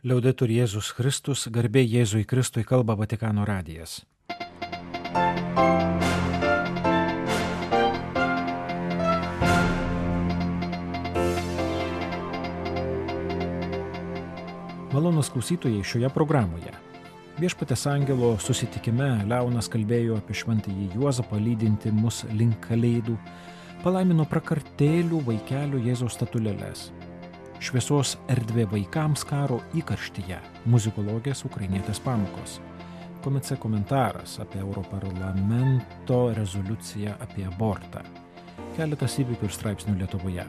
Liaudetur Jėzus Kristus, garbė Jėzui Kristui, kalba Vatikano radijas. Malonūs klausytojai šioje programoje. Viešpaties angelo susitikime Leonas kalbėjo apie šventąjį Juozapą lydinti mus link kalėdų, palaimino prakartėlių vaikelių Jėzaus statulėles. Šviesos erdvė vaikams karo įkarštyje, muzikologės ukrainietės pamokos. Komice komentaras apie Europarlamento rezoliuciją apie abortą. Keletas įvykių ir straipsnių Lietuvoje.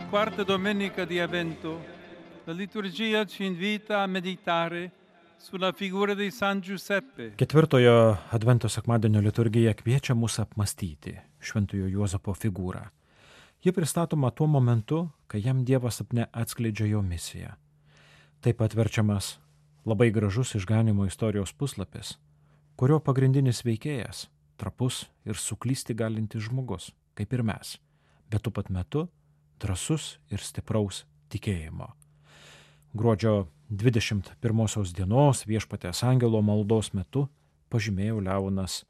Quarta domenica di Avvento, la liturgia ci invita a meditare sulla figura di San Giuseppe. Ketvirtojo Advento sekmadienio liturgija kviečia mus apmastyti šventojo Juozapo figūrą. Ji pristatoma tuo momentu, kai jam Dievas sapne atskleidžia jo misiją. Taip pat verčiamas labai gražus išganimo istorijos puslapis, kurio pagrindinis veikėjas – trapus ir suklysti galintis žmogus, kaip ir mes, bet tuo pat metu drąsus ir stipraus tikėjimo. Gruodžio 21 dienos Viešpaties angelo maldos metu pažymėjo Leonas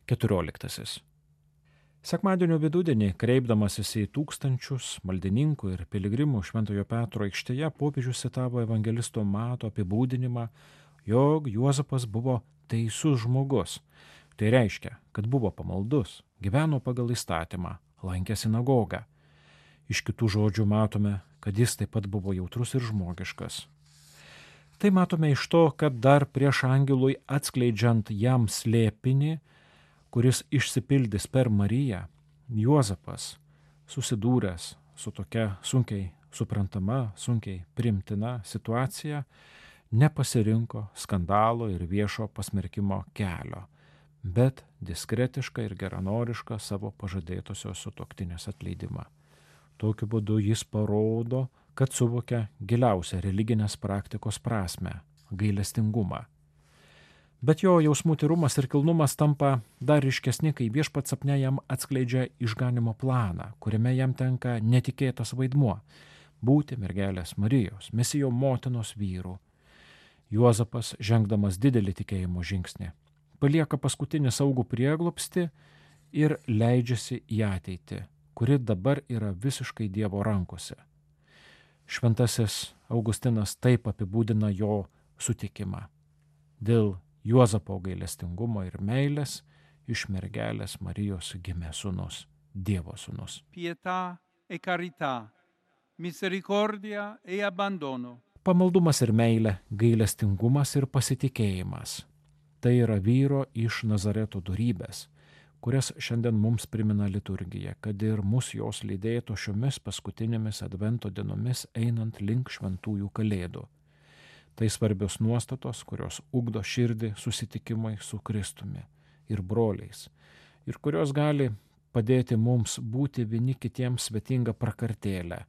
XIV. Sekmadienio vidudienį, kreipdamasis į tūkstančius maldininkų ir piligrimų Šventojo Petro aikštėje, popiežius citavo evangelisto Mato apibūdinimą, jog Juozapas buvo teisus žmogus. Tai reiškia, kad buvo pamaldus, gyveno pagal įstatymą, lankė sinagogą. Iš kitų žodžių matome, kad jis taip pat buvo jautrus ir žmogiškas. Tai matome iš to, kad dar prieš angelui atskleidžiant jam slėpinį, kuris išsipildys per Mariją, Juozapas, susidūręs su tokia sunkiai suprantama, sunkiai priimtina situacija, nepasirinko skandalo ir viešo pasmerkimo kelio, bet diskretišką ir geranorišką savo pažadėtosios sutuoktinės atleidimą. Tokiu būdu jis parodo, kad suvokia giliausią religinės praktikos prasmę – gailestingumą. Bet jo jausmų tyrumas ir kilnumas tampa dar ryškesni, kai Viešpats sapne jam atskleidžia išganimo planą, kuriame jam tenka netikėtas vaidmuo – būti mergelės Marijos, Mesijo motinos vyru. Juozapas, žengdamas didelį tikėjimo žingsnį, palieka paskutinį saugų prieglobstį ir leidžiasi į ateitį, kuri dabar yra visiškai Dievo rankose. Šventasis Augustinas taip apibūdina jo sutikimą. Dėl Juozapo gailestingumo ir meilės iš mergelės Marijos gimė sūnus, Dievo sūnus. Pietà e carità, misericordia e abbandono. Pamaldumas ir meilė, gailestingumas ir pasitikėjimas. Tai yra vyro iš Nazareto dorybės, kurias šiandien mums primena liturgija, kad ir mus jos lydėtų šiomis paskutinėmis Advento dienomis einant link šventųjų kalėdų. Tai svarbios nuostatos, kurios ugdo širdį susitikimai su Kristumi ir broliais, ir kurios gali padėti mums būti vieni kitiems svetinga prakartėlė,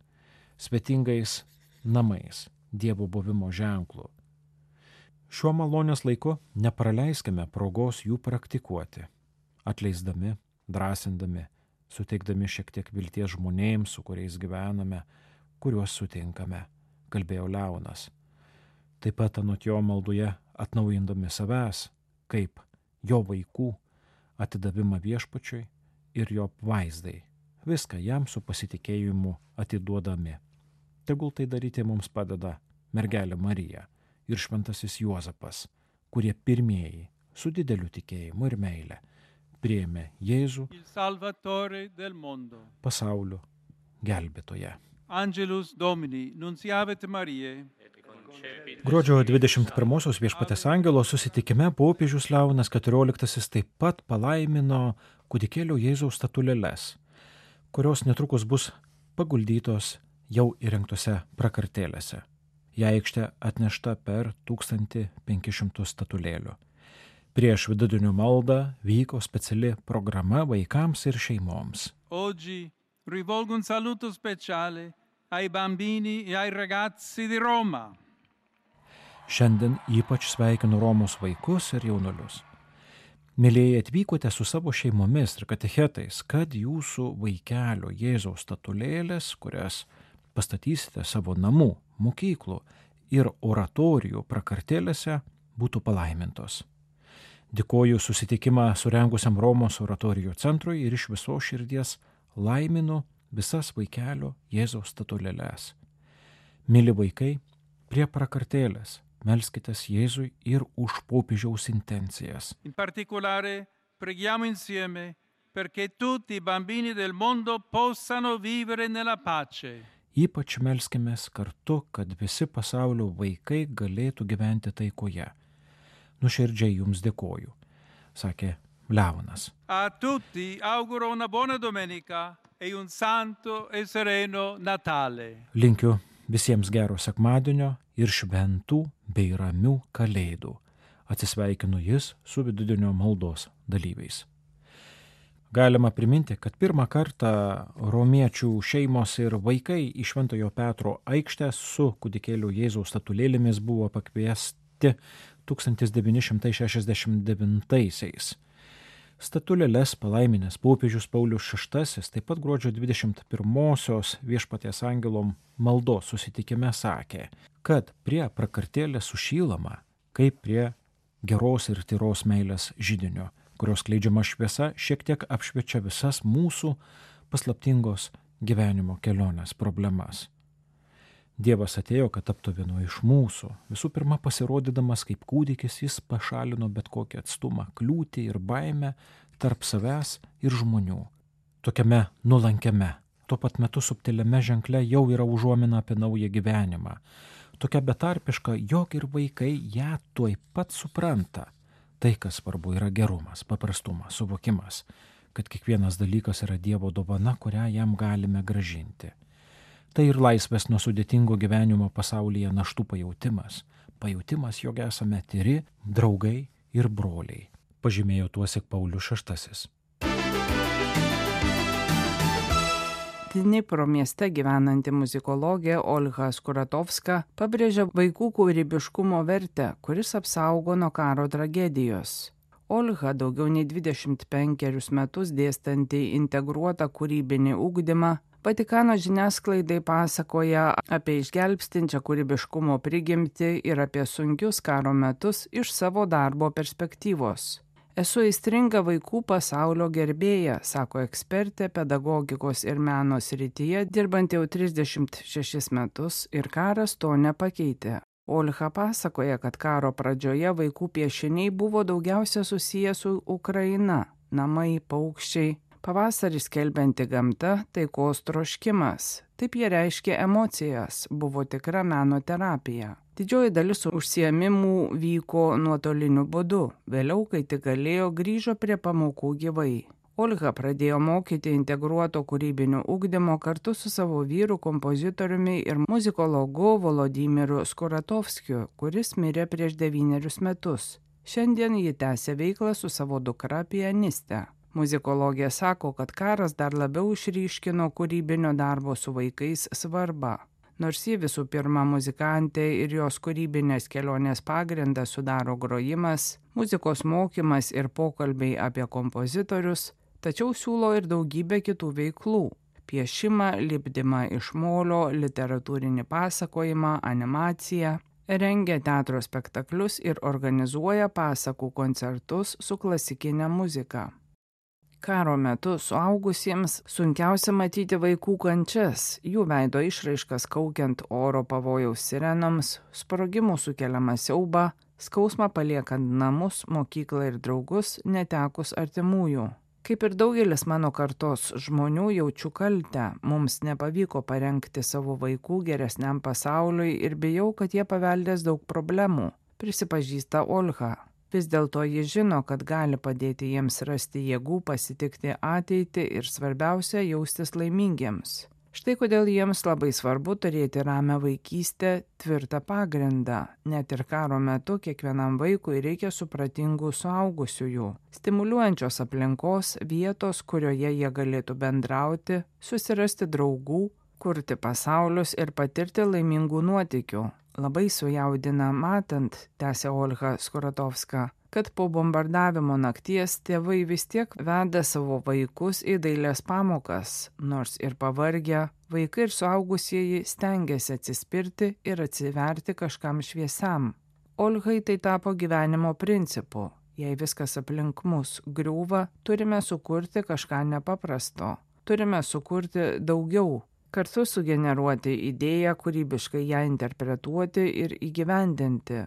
svetingais namais, Dievo buvimo ženklu. Šiuo malonės laiku nepraleiskime progos jų praktikuoti, atleisdami, drąsindami, suteikdami šiek tiek vilties žmonėms, su kuriais gyvename, kuriuos sutinkame, kalbėjo Leonas. Taip pat anot jo maldoje atnaujindami savęs, kaip jo vaikų, atidavimą Viešpačiui ir jo vaizdai, viską jam su pasitikėjimu atiduodami. Tegul tai daryti mums padeda mergelė Marija ir šventasis Juozapas, kurie pirmieji su dideliu tikėjimu ir meile priėmė Jėzų, pasaulio gelbėtoją. Angelus Domini, nunciavit Mariae. Gruodžio 21 Viešpaties angelo susitikime popiežius Leonas XIV taip pat palaimino kūdikėlio Jėzaus statulėles, kurios netrukus bus paguldytos jau įrengtose prakartėlėse. Į aikštę atnešta per 1500 statulėlių. Prieš vidudienio maldą vyko speciali programa vaikams ir šeimoms. Oggi rivolgo un saluto speciale ai bambini e ai ragazzi di Roma. Šiandien ypač sveikinu Romos vaikus ir jaunuolius. Mylėjai, atvykote su savo šeimomis ir katechetais, kad jūsų vaikelio Jėzaus statulėlės, kurias pastatysite savo namų, mokyklų ir oratorijų prakartėlėse, būtų palaimintos. Dėkoju susitikimą surengusiam Romos oratorijų centrui ir iš viso širdies laiminu visas vaikelio Jėzaus statulėles. Mili vaikai, prie prakartėlės melskitės Jėzui ir už popiežiaus intencijas. In particolare preghiamo insieme perché tutti i bambini del mondo possano vivere nella pace. Ypač melskimės kartu, kad visi pasaulio vaikai galėtų gyventi taikoje. Nuoširdžiai jums dėkoju, sakė Leonas. A tutti auguro una buona domenica e un santo e sereno Natale. Linkiu visiems gero sekmadienio ir šventų bei ramių kalėdų. Atsisveikinu jis su vidudienio maldos dalyviais. Galima priminti, kad pirmą kartą romiečių šeimos ir vaikai į Šventojo Petro aikštę su kūdikėlio Jėzaus statulėlėmis buvo pakviesti 1969-aisiais. Statulėles palaiminęs popiežius Paulius VI taip pat gruodžio 21-osios Viešpaties angelo maldos susitikime sakė, kad prie prakartėlės sušylama kaip prie geros ir tyros meilės židinio, kurios skleidžiama šviesa šiek tiek apšviečia visas mūsų paslaptingos gyvenimo kelionės problemas. Dievas atėjo, kad taptų vienu iš mūsų. Visų pirma, pasirodydamas kaip kūdikis, jis pašalino bet kokį atstumą, kliūtį ir baimę tarp savęs ir žmonių. Tokiame nuolankiame, tuo pat metu subtiliame ženkle jau yra užuomina apie naują gyvenimą. Tokia betarpiška, jog ir vaikai ją tuoj pat supranta. Tai, kas svarbu, yra gerumas, paprastumas, suvokimas, kad kiekvienas dalykas yra Dievo dovana, kurią jam galime grąžinti. Tai ir laisvės nuo sudėtingo gyvenimo pasaulyje naštų pajautimas, jog esame tyri, draugai ir broliai, pažymėjo tuosik Paulius VI. Dnipro mieste gyvenanti muzikologė Olga Skuratovska pabrėžia vaikų kūrybiškumo vertę, kuris apsaugo nuo karo tragedijos. Olga daugiau nei 25 metus dėstanti integruotą kūrybinį ugdymą, Vatikano žiniasklaidai pasakoja apie išgelbstinčią kūrybiškumo prigimtį ir apie sunkius karo metus iš savo darbo perspektyvos. Esu aistringa vaikų pasaulio gerbėja, sako ekspertė pedagogikos ir meno srityje, dirbanti jau 36 metus ir karas to nepakeitė. Olga pasakoja, kad karo pradžioje vaikų piešiniai buvo daugiausia susiję su Ukraina – namai, paukščiai. Pavasarį skelbianti gamta, taikos troškimas. Taip jie reiškė emocijas, buvo tikra meno terapija. Didžioji dalis užsiėmimų vyko nuotoliniu būdu. Vėliau, kai tik galėjo, grįžo prie pamokų gyvai. Olga pradėjo mokyti integruoto kūrybinio ugdymo kartu su savo vyru, kompozitoriumi ir muzikologu Volodymyru Skuratovskiu, kuris mirė prieš 9 metus. Šiandien ji tęsia veiklą su savo dukra pianiste. Muzikologė sako, kad karas dar labiau išryškino kūrybinio darbo su vaikais svarbą. Nors ji visų pirma muzikantė ir jos kūrybinės kelionės pagrindą sudaro grojimas, muzikos mokymas ir pokalbiai apie kompozitorius, tačiau siūlo ir daugybę kitų veiklų – piešimą, lipdymą iš molio, literatūrinį pasakojimą, animaciją, rengia teatro spektaklius ir organizuoja pasakų koncertus su klasikinė muzika. Karo metu suaugusiems sunkiausia matyti vaikų kančias, jų veido išraiškas kaukiant oro pavojaus sirenoms, sprogimų sukeliamą siaubą, skausmą paliekant namus, mokyklą ir draugus, netekus artimųjų. Kaip ir daugelis mano kartos žmonių jaučiu kaltę, mums nepavyko parengti savo vaikų geresniam pasauliui ir bijau, kad jie paveldės daug problemų, prisipažįsta Olga. Vis dėlto ji žino, kad gali padėti jiems rasti jėgų pasitikti ateitį ir svarbiausia jaustis laimingiems. Štai kodėl jiems labai svarbu turėti ramią vaikystę, tvirtą pagrindą. Net ir karo metu kiekvienam vaikui reikia supratingų suaugusiųjų, stimuliuojančios aplinkos, vietos, kurioje jie galėtų bendrauti, susirasti draugų, kurti pasaulius ir patirti laimingų nuotykių. Labai sujaudina matant, tęsė Olga Skuratovska, kad po bombardavimo nakties tėvai vis tiek veda savo vaikus į dailės pamokas, nors ir pavargę, vaikai ir suaugusieji stengiasi atsispirti ir atsiverti kažkam šviesiam. Olgai tai tapo gyvenimo principu. Jei viskas aplink mus griūva, turime sukurti kažką nepaprasto. Turime sukurti daugiau. Kartu sugeneruoti idėją, kūrybiškai ją interpretuoti ir įgyvendinti.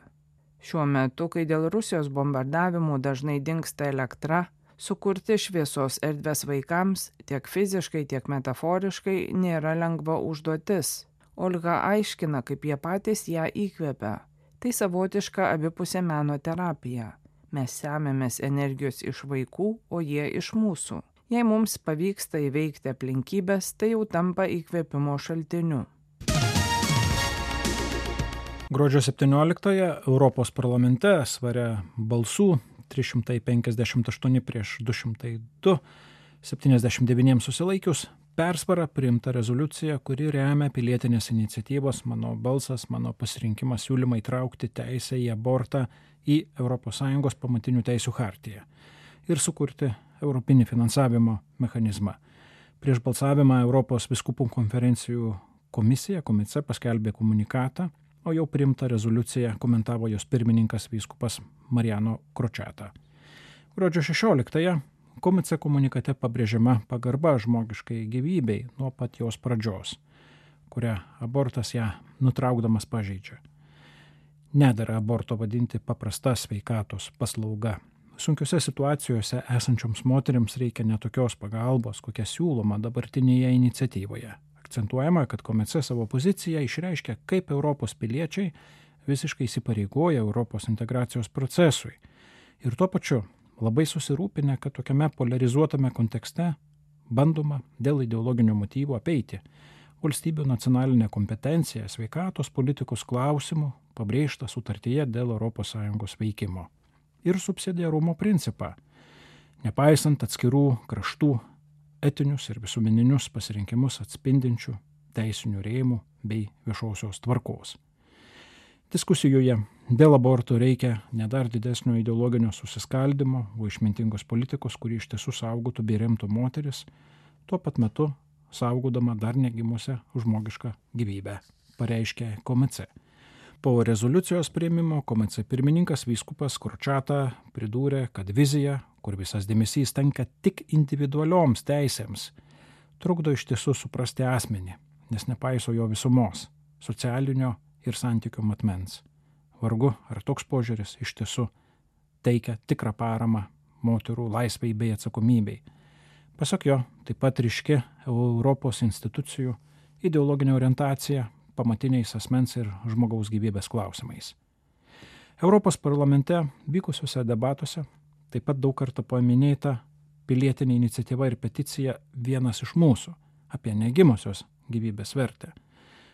Šiuo metu, kai dėl Rusijos bombardavimų dažnai dingsta elektra, sukurti šviesos erdvės vaikams tiek fiziškai, tiek metaforiškai nėra lengva užduotis. Olga aiškina, kaip jie patys ją įkvepia. Tai savotiška abipusė meno terapija. Mes semiamės energijos iš vaikų, o jie iš mūsų. Jei mums pavyksta įveikti aplinkybės, tai jau tampa įkvėpimo šaltiniu. Gruodžio 17-ąją Europos parlamente svaria balsų 358 prieš 202, 79 susilaikius, persvara priimta rezoliucija, kuri remia pilietinės iniciatyvos Mano balsas, mano pasirinkimas siūlymą įtraukti teisę į abortą į ES pamatinių teisių chartiją ir sukurti europinį finansavimo mechanizmą. Prieš balsavimą Europos vyskupų konferencijų komisija paskelbė komunikatą, o jau priimtą rezoliuciją komentavo jos pirmininkas vyskupas Mariano Kročeta. Gruodžio 16-ąją komice komunikate pabrėžiama pagarba žmogiškai gyvybei nuo pat jos pradžios, kurią abortas ją nutraukdamas pažeidžia. Nedera aborto vadinti paprasta sveikatos paslauga. Sunkiose situacijose esančioms moteriams reikia netokios pagalbos, kokia siūloma dabartinėje iniciatyvoje. Akcentuojama, kad komice savo poziciją išreiškia, kaip Europos piliečiai visiškai įsipareigoja Europos integracijos procesui. Ir tuo pačiu labai susirūpinę, kad tokiame polarizuotame kontekste bandoma dėl ideologinių motyvų apeiti valstybių nacionalinę kompetenciją sveikatos politikos klausimų pabrėžta sutartyje dėl ES veikimo. Ir subsidiarumo principą, nepaisant atskirų kraštų etinius ir visuomeninius pasirinkimus atspindinčių teisinių rėmų bei viešosios tvarkos. Diskusijoje dėl abortų reikia ne dar didesnio ideologinio susiskaldimo, o išmintingos politikos, kuri iš tiesų saugotų bei remtų moteris, tuo pat metu saugodama dar negimusią žmogišką gyvybę, pareiškė komice. Po rezoliucijos priėmimo komice pirmininkas vyskupas Kročeta pridūrė, kad vizija, kur visas dėmesys tenka tik individualioms teisėms, trukdo iš tiesų suprasti asmenį, nes nepaiso jo visumos, socialinio ir santykių matmens. Vargu, ar toks požiūris iš tiesų teikia tikrą paramą moterų laisvei bei atsakomybei. Pasak jo, taip pat ryški Europos institucijų ideologinė orientacija pamatiniais asmens ir žmogaus gyvybės klausimais. Europos parlamente vykusiuose debatuose taip pat daug kartų paminėta pilietinė iniciatyva ir peticija Vienas iš mūsų apie negimusios gyvybės vertę,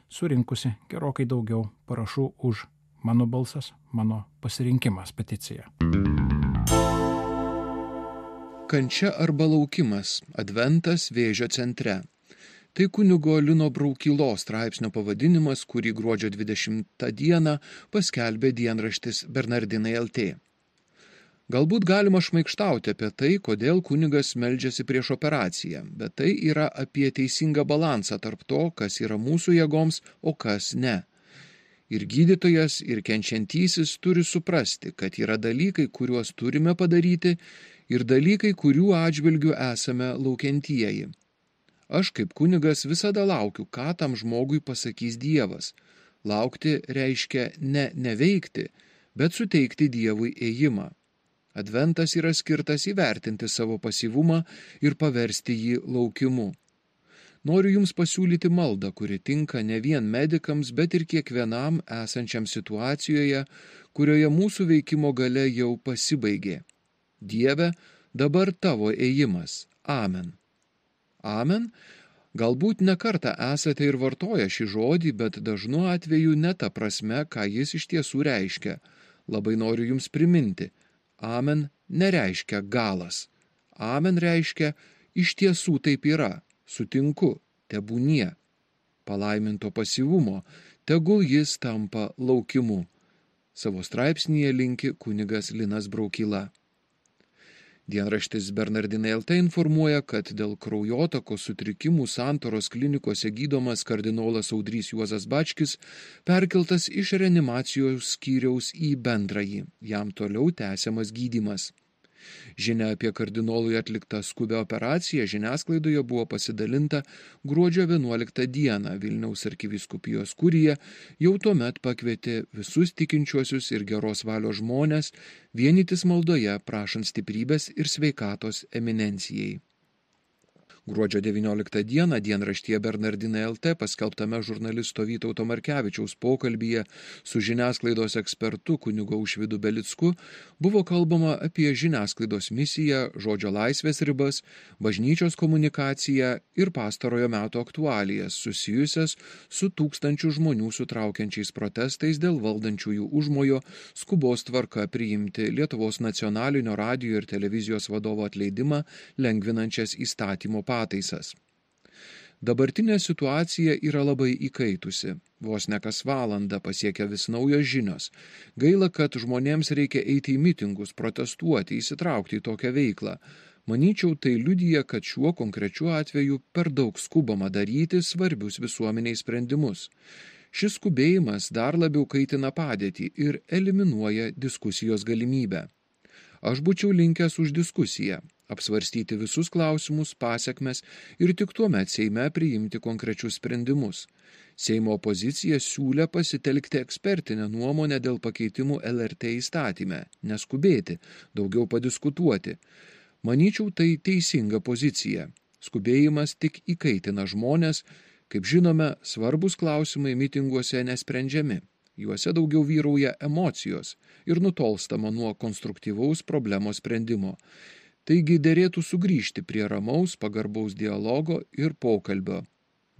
surinkusi gerokai daugiau parašų už Mano balsas, mano pasirinkimas peticiją. Kančia arba laukimas – Adventas Vėžio centre. Tai kunigo Lino Braukylos straipsnio pavadinimas, kurį gruodžio 20 dieną paskelbė dienraštis Bernardinai LT. Galbūt galima šmaikštauti apie tai, kodėl kunigas meldžiasi prieš operaciją, bet tai yra apie teisingą balansą tarp to, kas yra mūsų jėgoms, o kas ne. Ir gydytojas, ir kenčiantysis turi suprasti, kad yra dalykai, kuriuos turime padaryti, ir dalykai, kurių atžvilgių esame laukiantieji. Aš kaip kunigas visada laukiu, ką tam žmogui pasakys Dievas. Laukti reiškia ne neveikti, bet suteikti Dievui ėjimą. Adventas yra skirtas įvertinti savo pasyvumą ir paversti jį laukimu. Noriu Jums pasiūlyti maldą, kuri tinka ne vien medikams, bet ir kiekvienam esančiam situacijoje, kurioje mūsų veikimo galia jau pasibaigė. Dieve, dabar Tavo ėjimas. Amen. Amen. Galbūt ne kartą esate ir vartoję šį žodį, bet dažnu atveju ne ta prasme, ką jis iš tiesų reiškia. Labai noriu Jums priminti. Amen nereiškia galas. Amen reiškia iš tiesų taip yra. Sutinku, tebūnie. Palaiminto pasyvumo, tegul jis tampa laukimu. Savo straipsnyje linki kunigas Linas Braukyla. Dienraštis Bernardinai LT informuoja, kad dėl kraujotakos sutrikimų Santaros klinikose gydomas kardinolas Audrys Juozas Bačkis perkeltas iš reanimacijos skyriaus į bendrąjį, jam toliau tęsiamas gydymas. Žinia apie kardinolui atliktą skubią operaciją žiniasklaidoje buvo pasidalinta gruodžio 11 dieną. Vilniaus arkivyskupijos kurija jau tuomet pakvietė visus tikinčiuosius ir geros valios žmones vienytis maldoje, prašant stiprybės ir sveikatos eminencijai. Gruodžio 19 dieną dienraštyje Bernardinai LT paskelbtame žurnalisto Vytauto Markevičiaus pokalbyje su žiniasklaidos ekspertu kunigu Aušvydu Belicku buvo kalbama apie žiniasklaidos misiją, žodžio laisvės ribas, bažnyčios komunikaciją ir pastarojo meto aktualijas susijusias su tūkstančių žmonių sutraukiančiais protestais dėl valdančiųjų užmojo skubos tvarka priimti Lietuvos nacionalinio radijo ir televizijos vadovo atleidimą lengvinančias įstatymo pataisas. Dabartinė situacija yra labai įkaitusi. Vos ne kas valandą pasiekia vis naujos žinios. Gaila, kad žmonėms reikia eiti į mitingus, protestuoti, įsitraukti į tokią veiklą. Manyčiau, tai liudija, kad šiuo konkrečiu atveju per daug skubama daryti svarbius visuomeniai sprendimus. Šis skubėjimas dar labiau kaitina padėtį ir eliminuoja diskusijos galimybę. Aš būčiau linkęs už diskusiją, apsvarstyti visus klausimus, pasekmes ir tik tuomet Seime priimti konkrečius sprendimus. Seimo opozicija siūlė pasitelkti ekspertinę nuomonę dėl pakeitimų LRT įstatyme, neskubėti, daugiau padiskutuoti. Manyčiau, tai teisinga pozicija. Skubėjimas tik įkaitina žmonės, kaip žinome, svarbus klausimai mitinguose nesprendžiami. Juose daugiau vyrauja emocijos ir nutolstama nuo konstruktyvaus problemos sprendimo. Taigi derėtų sugrįžti prie ramaus, pagarbaus dialogo ir pokalbio.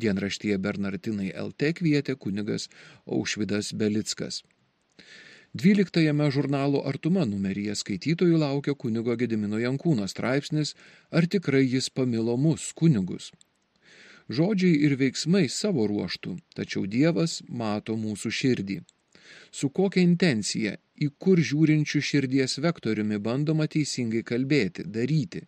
Dienraštyje Bernardinai LT kvietė kunigas Aušvydas Belickas. 12 žurnalo Artuma numeryje skaitytojų laukia kunigo Gedimino Jankūno straipsnis "Ar tikrai jis pamilo mus, kunigus?". Žodžiai ir veiksmai savo ruoštų, tačiau Dievas mato mūsų širdį. Su kokia intencija, į kur žiūrinčių širdies vektoriumi bandoma teisingai kalbėti, daryti.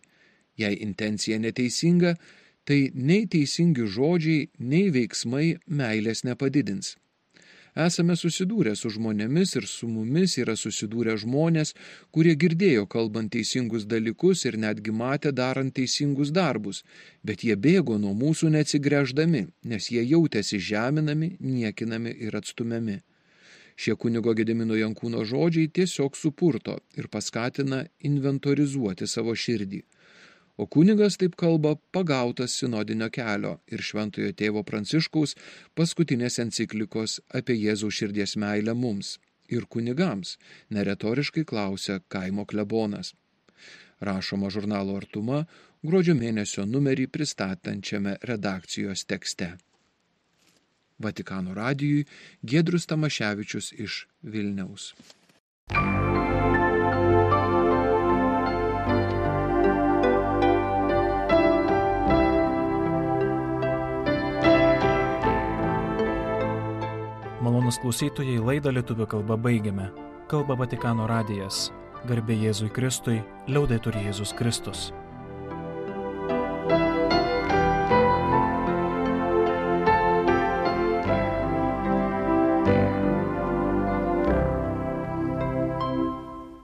Jei intencija neteisinga, tai nei teisingi žodžiai, nei veiksmai meilės nepadidins. Esame susidūrę su žmonėmis ir su mumis yra susidūrę žmonės, kurie girdėjo kalbant teisingus dalykus ir netgi matė darant teisingus darbus, bet jie bėgo nuo mūsų neatsigręždami, nes jie jautėsi žeminami, niekinami ir atstumiami. Šie kunigo Gedimino Jankūno žodžiai tiesiog supurto ir paskatina inventorizuoti savo širdį. O kunigas taip kalba pagautas sinodinio kelio ir Šventojo tėvo Pranciškaus paskutinės enciklikos apie Jėzaus širdies meilę mums ir kunigams, neretoriškai klausia kaimo klebonas. Rašoma žurnalo Artuma gruodžio mėnesio numerį pristatančiame redakcijos tekste. Vatikano radijui Giedrius Tamaševičius iš Vilniaus. Malonūs klausytojai, laidą lietuvių kalba baigiame. Kalba Vatikano radijas. Garbė Jėzui Kristui, liaudetur Jėzus Kristus.